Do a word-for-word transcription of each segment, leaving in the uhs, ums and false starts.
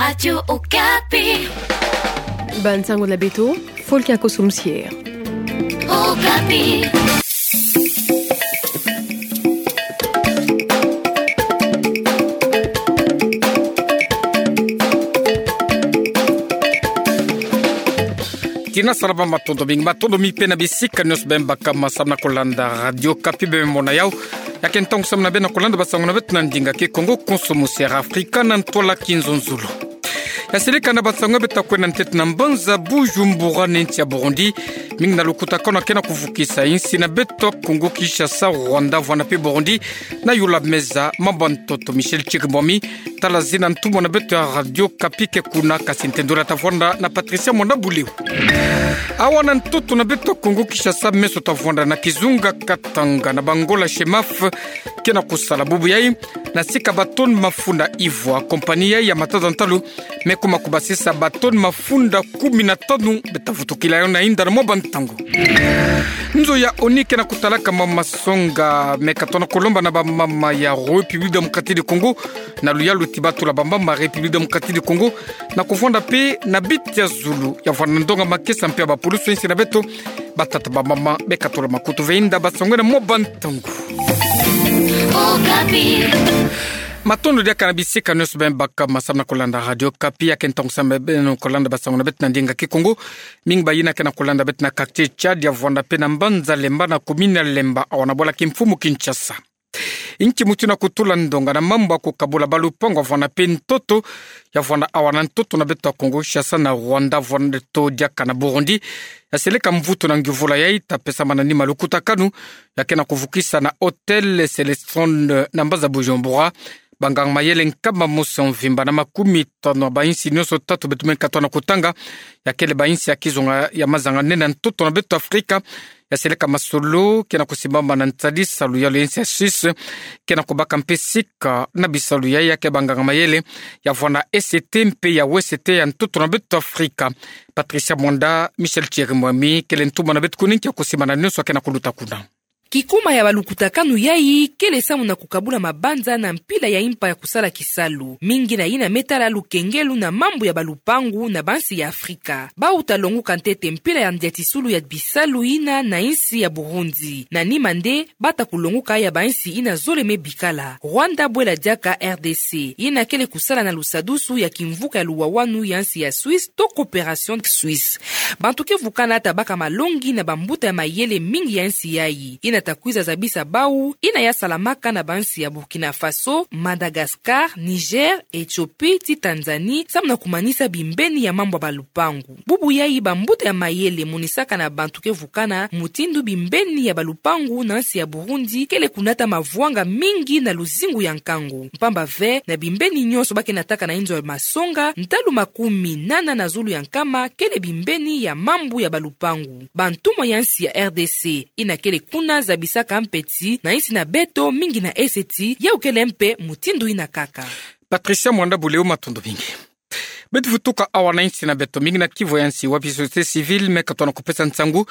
Radio Okapi. Bansango na beto, Folky Akoso Musiere. Okapi. Tina salama, matondo mingi, matondo mingi pe na bisika nyonso bem baka ma samu na kolanda Radio Okapi bem mona yau. Ya ke ntangu samu na bem na kolanda basango na beto na ndinga Kikongo, Konso Musiere Afrika na ntwala Kinzonzolo. Ya seleka na basango beto ta kwenda ntete na mbanza Bujumbura na insi ya Burundi. Mingi na lukutakanu ya ke na kuvukisa insi na beto Kongo Kinshasa, Rwanda, vwanda pe Burundi. Na yula meza mambu ya ntoto Michel Chirimwami, tala zina ntumwa na beto ya Radio Okapi ke kuna, kasi ntendula ta vwanda na Patricia Mwanda Buleu. Awa na ntoto na beto Kongo Kinshasa, meso ta vwanda na kizunga Katanga na bangola chemaf ke na kusala bubu yai, na sika ba tonne mafunda ivwa, compagnie yai ya matada ntalu me kuma kubasisa ba tonne mafunda kumi na tanu, beta vutukila yo na inda na mwa bantangu. Nzo ya ONU ke na kutalaka mwa masonga me katona kulomba na bamama ya République Démocratique du Congo, na luyalu ti batula bamama République Démocratique du Congo, na kuvwanda pe na biti ya zulu ya vwanda na ndonga makesa mpe ya bapulusu ya insi na beto, batata bamama be katula makutu ve inda basango na mwa bantangu. Okapi. Matondo diaka na bisika nyonso bem baka ma samu na kolanda Radio Okapi. Ya ke ntangu samu na beno kolanda basango na beto na ndinga Kikongo. Mingi ba yina ke na kolanda beto na quartier Tchad ya vwanda pe na mbanza Lemba na commune ya Lemba, awa na bwala kimfumu Kinshasa. Inki mutu ina kutula ndonga na mambu ya kukabula balupangu ya vwanda pe ntoto, ya vwanda awa na ntoto na beto ya Kongo Kinshasa na Rwanda, vwanda to diaka na Burundi. Ya seleka mvutu na nguvula yai ta pesa manima lukutakanu ya ke na kuvukisa na Hôtel Célestron na mbanza Bujumbura. Banganga mayele nkama mosi ya mvimba na makumi tanu ya ba insi nyonso tatu beto me katona kutanga, ya kele ba insi ya kizunga ya mazanga nene ya ntoto na beto Afrika. Ya seleka masolo ke na kusimbama na nsadi salu ya lo ya insi ya Suisse, ke na kubaka mpe sika na bisalu yai ya ke banganga mayele ya vwanda na Est mpe ya Ouest ya ntoto na beto Afrika. Patricia Mwanda, Michel Chirimwami kele ntumwa na beto kuna, inki ya kusimbana nyonso ya ke na kuluta kuna. Kikuma ya balukutakanu yai kele samu na kukabula mabanza na mpila ya impa ya kusala kisalu, mingi na yina me tala lukengelu na mambu ya balupangu na bansi ya Afrika. Bau ta longuka ntete mpila ya ndiatisulu ya bisalu yina na insi ya Burundi. Na nima nde, bata kulonguka ya bansi yina zole me bikala. Rwanda bwela diaka R D C, yina kele kusala na lusadusu ya kimvuka ya luwawanu ya nsi ya Suisse to coopération suisse. Bantu ke vukana ta baka malongi na bambuta ya mayele mingi ya nsi yai, yina ta kwiza zabisa bau yina ya salamaka na bansi ya Burkina Faso, Madagascar, Niger, Éthiopie, ti Tanzanie, samu na kumanisa bimbeni ya mambu ya balupangu. Bubu yai bambuta ya mayele monisaka na bantu ke vukana mutindu bimbeni ya balupangu na nsi ya Burundi kele kunata mavwanga mingi na luzingu ya nkangu. Mpamba ve, na bimbeni nyonso ba ke nataka na inzo ya masonga, ntalu makumi nana na zulu ya nkama kele bimbeni ya mambu ya balupangu. Bantumwa ya nsi ya R D C yina kele kuna zabisaka mpe ti na insi na beto mingi na Est, yau kele mpe mutindu yina kaka. Patricia Mwanda Buleu, matondo mingi. Beto vutuka awa na insi na beto, mingi na kivu ya nsi wapi société civile me katona kupesa nsangu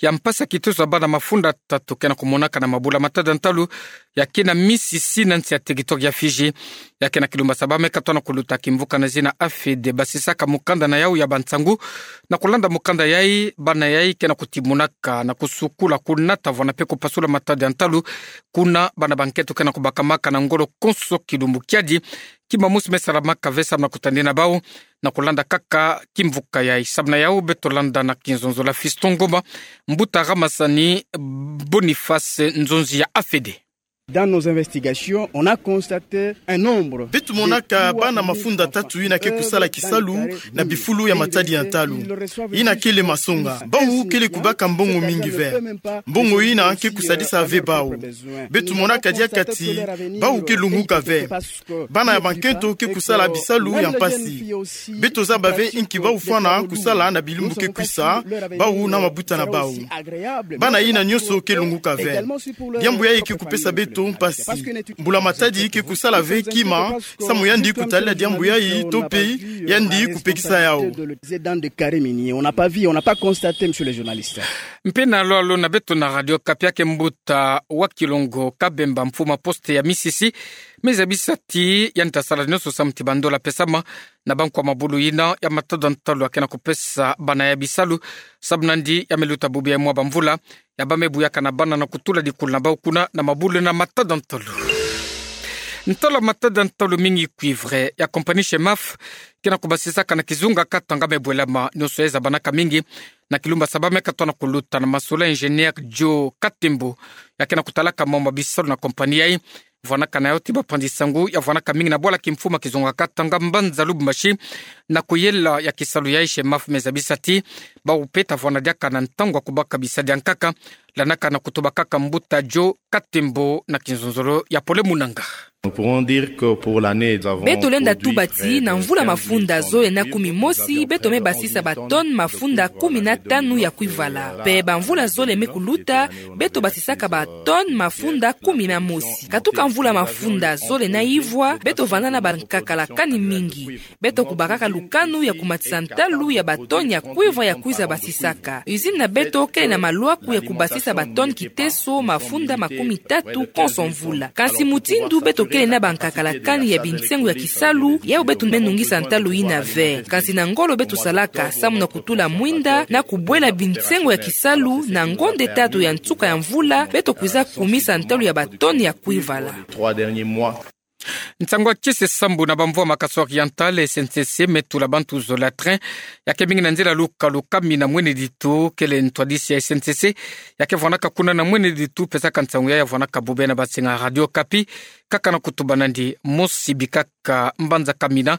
ya mpasi ya kiteso ya bana mafunda tatu ke na kumonaka na mabula matada ntalu ya ke na misisi na nsi ya territoire ya Fidji. Ya ke na kilumbasa bau me katona kuluta kimvuka na zina AFED basisaka mukanda na yau ya bansangu. Na kulanda mukanda yai, bana yai ke na kutimonaka na kusukula, kunata vwanda mpe kupasula matada ntalu kuna bana bankento ke na kubakamaka na ngolo konso kilumbu kiadi. Kima mosi me salamaka ve samu na kutadina bau na kulanda kaka kimvuka yai. Samu na yau beto landa na kinzonzo la Fiston Ngoma, mbuta Ramasani Boniface, nzonzi ya AFED. Dans nos investigations, on a constaté un nombre. Beto monaka bana mafunda tatu yina ke kusala kisalu na bifulu ya matadi ya ntalu. Yina kele masonga. Bau kele kubaka mbongo mingi ve. Mbongo yina ke kusadisa ve bau. Beto monaka diaka ti bau ke lunguka ve. Bana ya bankento ke kusala bisalu ya mpasi. Beto zaba ve inki bau fwana kusala na bilumbu ke kwisa, bau na mabuta na bau. Bana yina nyonso ke lunguka ve. Diambu yai ke kupesa beto to mpasi. Mbula matadi ke kusala ve kima, samu yandi kutalila diambu yayi, to pe yandi kupekisa yawu. Dans des carrés miniers. On n'a pas vu, on n'a pas constaté, monsieur le journaliste. Mpe na lwalo na beto na Radio Okapi, ake mbuta wa Kilongo Kabemba, mfuma poste ya Misisi, me zabisa ti yandi tasala nionso samu ti bandola pesama na bankwa mabulu yina ya matata ntalu ake na kupesa bana ya bisalu, samu nandi ya me luta bubu ya mwa bamvula, ya ba me buyaka na bana na kutula dikulu na bawu kuna na mabulu na matata ntalu. Ntalu ya matata ntalu mingi cuivre ya compagnie Shemaf ke na kubasisaka na kizunga katanga me bwelama nionso ya zabanaka mingi na kilumbu sa ba me katona kuluta na masolo ya ingénieur Joe Katembo, ya ke na kutalaka mambu ma bisalu na compagnie yayi. Vwanaka na yawu ti bapanzi nsangu ya vwanaka mingi na bwala kimfuma kizunga katanga mbanza Lubumbashi, na kuyela ya kisalu yayi Shemaf me zabisa ti bawu pe ta vwana diaka na ntangu ya kubaka bisadi ya nkaka, landaka na kutubakaka mbuta Joe Katembo na kinzonzolo ya Pole Munanga. Nous pouvons dire que pour l'année, nous avons produit près de quinze mille tonnes de cuivre. Beto lenda tuba ti na mvula mafunda zole na kumi mosi, beto me basisa ba tonnes mafunda kumi na tanu ya cuivre. Pe bamvula zole me kuluta, beto basisaka ba tonnes mafunda kumi na mosi. Katuka mvula mafunda zole na ivwa, beto vanda na bankaka la kani mingi. Beto kubakaka lukanu ya kumatisa ntalu ya ba tonnes ya cuivre ya kwiza basisaka. Usine na beto kele na malwaku ya kubasisa ba tonnes kiteso mafunda makumi tatu konso mvula. Kansi mutindu beto kele na bankaka la kani ya binsengo ya kisalu, yawu beto me nungisa ntalu yina ve. Kansi na ngolo beto salaka, samu na kutula mwinda, na kubwela binsengo ya kisalu, na ngonde tatu ya nsuka ya mvula, beto kwiza kumisa ntalu ya ba tonnes ya cuivre. Trois derniers mois. Nsangu ya kisi sambu na bamvua Makassar Oriental, S N C C me tula bantu zole ya train ya ke mingi na nzila lukalu Kamina Mwene Ditu, kele ntwadisi ya S N C C ya ke vwanaka kuna na Mwene Ditu pesaka nsangu ya ya vwanaka bubia na bansinga Radio Okapi, kaka na kutuba nandi mosi bikaka mbanza Kamina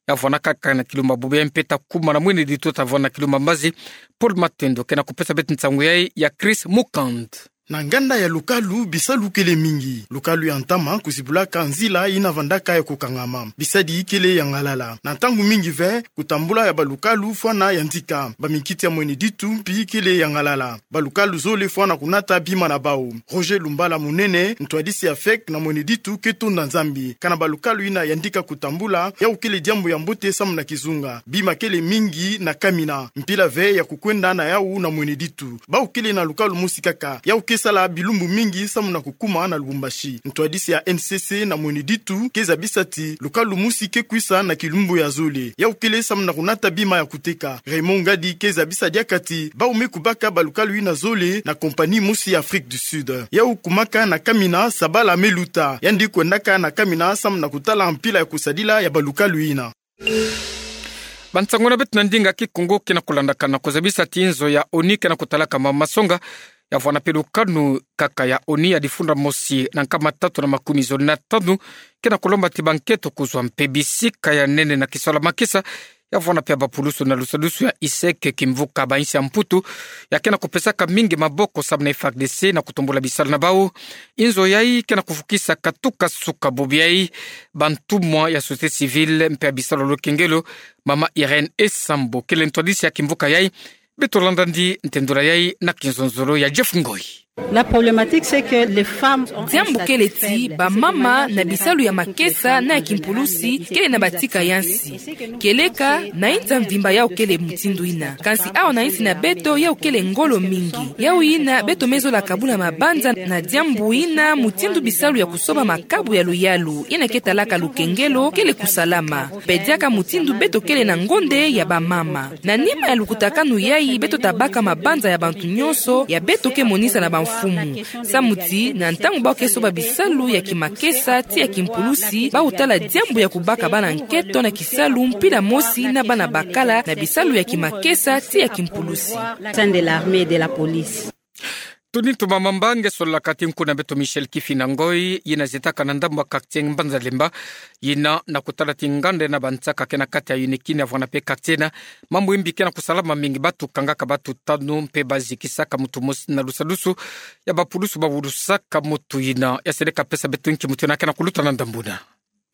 ya vwanaka kaka na kilumbu ya bubia, mpe ta kuma na Mwene Ditu ta vwana na kilumbu ya mbazi. Paul Matendo ke na kupesa beto nsangu yayi ya Chris Mukand. Na nganda ya lukalu, bisalu kele mingi. Lukalu ya ntama kuzibulaka nzila yina vandaka ya kukangama. Bisadi kele ya ngalala. Na ntangu mingi ve, kutambula ya balukalu fwana yandika. Bamikiti ya Mwene Ditu mpi kele ya ngalala. Balukalu zole fwana kunata bima na bawu. Roger Lumbala Munene, ntwadisi ya fek na Mwene Ditu, ke tonda Nzambi. Kana balukalu yina yandika kutambula, yawu kele diambu ya mbote samu na kizunga. Bima kele mingi na Kamina. Mpila ve ya kukwenda na yawu na Mwene Ditu. Bawu kele na lukalu mosi kaka, yawu ke sala bilumbu mingi samu na kukuma na Lubumbashi. Ntwadisi ya N C C na Mwene Ditu ke zabisa ti lukalu mosi ke kwisa na kilumbu ya zole. Yawu kele samu na kunata bima ya kuteka. Raymond Ngadi ke zabisa diaka ti bawu me kubaka balukalu yina zole na compagnie mosi ya Afrique du Sud. Yawu kumaka na Kamina, sabala me luta. Yandi kwendaka na Kamina samu na kutala mpila ya kusadila ya balukalu yina. Bansangu na beto na ndinga Kikongo ke na kulandakana, kuzabisa ti nzo ya ONU ke na kutalaka ma masonga ya vwana mpe lukanu kaka ya ONU ya difunda mosi na nkama tatu na makumi zole na tanu ke na kulomba ti bankento kuzwa mpe bisika ya nene na kisola makesa ya vwana mpe ya bapulusu na lusadusu ya ISEC, kimvuka ba insi ya Mputu ya ke na kupesaka mingi maboko samu na F A R D C na kutumbula bisalu na bawu. Inzo yayi ke na kufukisa katuka suka bubu yayi bantumwa ya société civile mpe ya bisalu ya lukengelo, mama Irène Esambo, kele ntwadisi ya kimvuka yayi. Beto landa ndi ntendula yayi na kinzonzolo ya Jeff Ngoi. La problématique, c'est que les femmes ont un statut faible. Diambu kele ti bamama na bisalu ya makesa na ya kimpulusi kele na batika ya nsi. Kieleka na insi ya mvimba yawu kele mutindu yina. Kansi awa na insi na beto yawu kele ngolo mingi. Yawu yina beto me zola kabula mabanza na diambu yina, mutindu bisalu ya kusoba makabu ya luyalu yina ke talaka lukengelo kele kusalama. Mpe diaka mutindu beto kele na ngonde ya bamama. Na nima ya lukutakanu yayi beto ta baka mabanza ya bantu nyonso ya beto ke monisa na bamfumu. Samu ti na ntangu bawu ke soba bisalu ya kimakesa ti ya kimpulusi, bawu tala diambu ya kubaka bana nkento na kisalu mpila mosi na bana bakala na bisalu ya kimakesa ti ya kimpulusi. Sein de l'armée et de la police. Tuni tumama mbangi, sololaka ti nkunga beto Michel Kifina Ngoi, yina zietaka na ndambu ya quartier Mbanza Lemba, yina na kutala ti nganda na bansaka ke na kati ya UNEKI ya vwana mpe quartier yina mambu mbi ke na kusalama mingi, batu kangaka batu tanu mpe bazikisaka mutu mosi na lusadusu ya bapulusu bawulusaka mutu yina. Ya seleka pesa beto nki mutu yina ke na kuluta na ndambu yina.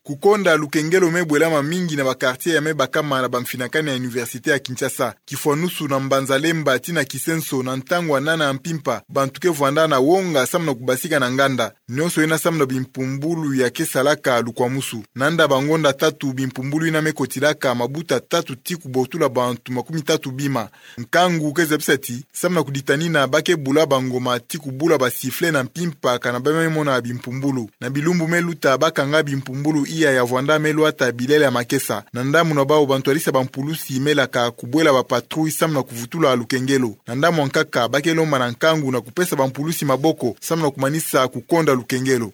Kukonda lukengelo me bwelama mingi na ba quartier ya me bakama na bamfinakani ya Université ya Kinshasa. Kifwanusu na Mbanza Lemba tii na Kisenso na ntangu ya nana ya mpimpa, bantu ke vwanda na wonga samu na kubasika na nganda. Nionso ina samu na bimpumbulu ya ke salaka lukwamusu. Na nda bangonda tatu bimpumbulu ina me kotilaka, mabuta tatu tii kubotula bantu makumi tatu bima. Nkangu ke zabisa ti, samu na kuditanina, ba ke bula bangoma tii kubula ba sifflet na mpimpa kana ba me mona bimpumbulu. Na bilumbu me luta ba kanga bimpumbulu iya ya vwanda me lwata bilele ya makesa. Na ndamu na bawu, bantwadisa bampulusi me laka kubwela ba patrouille samu na kuvutula lukengelo. Na ndamu nkaka, ba ke lomba na nkangu na kupesa bampulusi maboko samu na kumanisa kukonda lukengelo.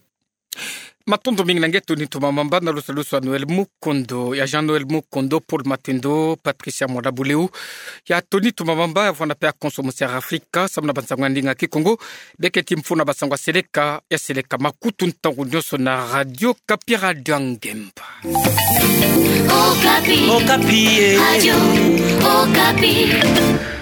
Matondo mingi na nge Tony Tumamamba na lusalusu ya Noël Mukondo, ya Jean Noël Mukondo, Paul Matendo, Patricia Mwanda Buleu. Ya Tony Tumamamba, ya vwanda pe ya Konso Musi ya Afrika, samu na bansango ya ndinga Kikongo, be keti mfunu na bansango ya seleka, ya seleka makutu ntangu nionso na Radio Okapi, Radio ya Ngemba. Okapi. Okapi, eh. Radio Okapi.